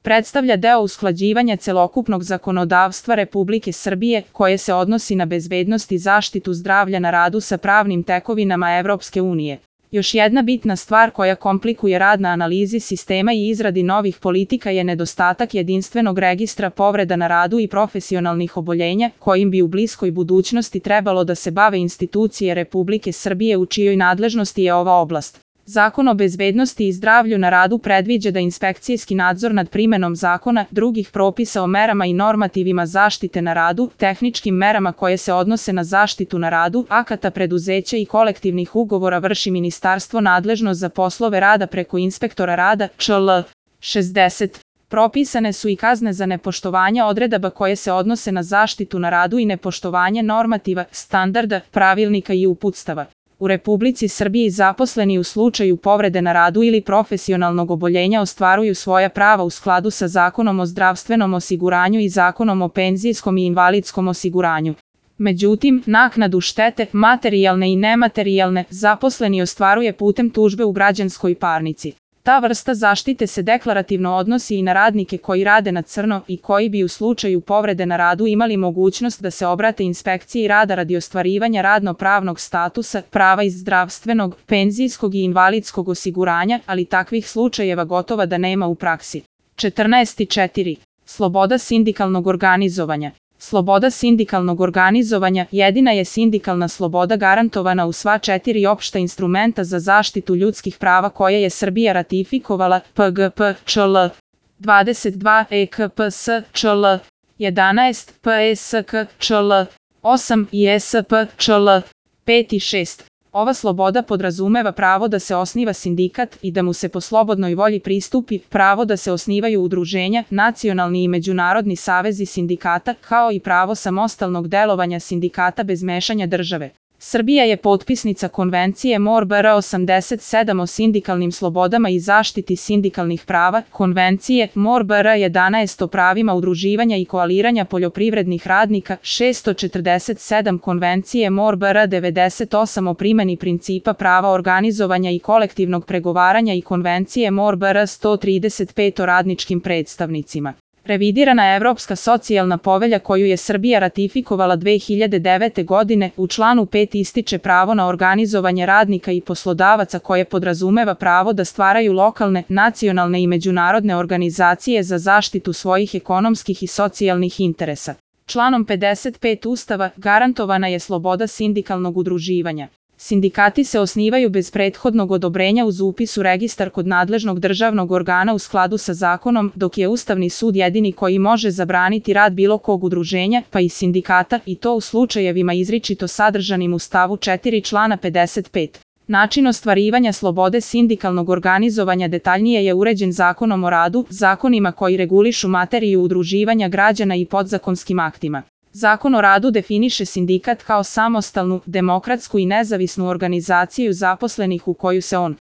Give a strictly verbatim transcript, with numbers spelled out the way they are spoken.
predstavlja deo usklađivanja celokupnog zakonodavstva Republike Srbije koje se odnosi na bezbednost i zaštitu zdravlja na radu sa pravnim tekovinama Evropske unije. Još jedna bitna stvar koja komplikuje rad na analizi sistema i izradi novih politika je nedostatak jedinstvenog registra povreda na radu i profesionalnih oboljenja, kojim bi u bliskoj budućnosti trebalo da se bave institucije Republike Srbije u čijoj nadležnosti je ova oblast. Zakon o bezbednosti i zdravlju na radu predviđa da inspekcijski nadzor nad primenom zakona, drugih propisa o merama i normativima zaštite na radu, tehničkim merama koje se odnose na zaštitu na radu, akata preduzeća i kolektivnih ugovora vrši ministarstvo nadležno za poslove rada preko inspektora rada, Č L. šezdeset. Propisane su i kazne za nepoštovanje odredaba koje se odnose na zaštitu na radu i nepoštovanje normativa, standarda, pravilnika i uputstava. U Republici Srbiji zaposleni u slučaju povrede na radu ili profesionalnog oboljenja ostvaruju svoja prava u skladu sa Zakonom o zdravstvenom osiguranju i Zakonom o penzijskom i invalidskom osiguranju. Međutim, naknadu štete, materijalne i nematerijalne, zaposleni ostvaruje putem tužbe u građanskoj parnici. Ta vrsta zaštite se deklarativno odnosi i na radnike koji rade na crno i koji bi u slučaju povrede na radu imali mogućnost da se obrate inspekciji rada radi ostvarivanja radno-pravnog statusa, prava iz zdravstvenog, penzijskog i invalidskog osiguranja, ali takvih slučajeva gotovo da nema u praksi. četrnaest četiri. Sloboda sindikalnog organizovanja. Sloboda sindikalnog organizovanja jedina je sindikalna sloboda garantovana u sva četiri opšta instrumenta za zaštitu ljudskih prava koje je Srbija ratifikovala, P G P Č L. dvadeset dva E K P S Č L. jedanaest P E S K Č L. osam I E S P Č L. pet i šest. Ova sloboda podrazumeva pravo da se osniva sindikat i da mu se po slobodnoj volji pristupi, pravo da se osnivaju udruženja, nacionalni i međunarodni savezi sindikata, kao i pravo samostalnog delovanja sindikata bez mešanja države. Srbija je potpisnica Konvencije M O R B R osamdeset sedam o sindikalnim slobodama i zaštiti sindikalnih prava, Konvencije M O R B R jedanaest o pravima udruživanja i koaliranja poljoprivrednih radnika, šessto četrdeset sedam Konvencije M O R B R devedeset osam o primeni principa prava organizovanja i kolektivnog pregovaranja i Konvencije M O R B R sto trideset pet o radničkim predstavnicima. Revidirana Evropska socijalna povelja koju je Srbija ratifikovala dve hiljade devete. godine u članu pet ističe pravo na organizovanje radnika i poslodavaca koje podrazumeva pravo da stvaraju lokalne, nacionalne i međunarodne organizacije za zaštitu svojih ekonomskih i socijalnih interesa. Članom pedeset pet Ustava garantovana je sloboda sindikalnog udruživanja. Sindikati se osnivaju bez prethodnog odobrenja uz upis u registar kod nadležnog državnog organa u skladu sa zakonom, dok je Ustavni sud jedini koji može zabraniti rad bilo kog udruženja, pa i sindikata, i to u slučajevima izričito sadržanim u stavu četiri člana pedeset pet. Način ostvarivanja slobode sindikalnog organizovanja detaljnije je uređen Zakonom o radu, zakonima koji regulišu materiju udruživanja građana i podzakonskim aktima. Zakon o radu definiše sindikat kao samostalnu, demokratsku i nezavisnu organizaciju zaposlenih u koju se on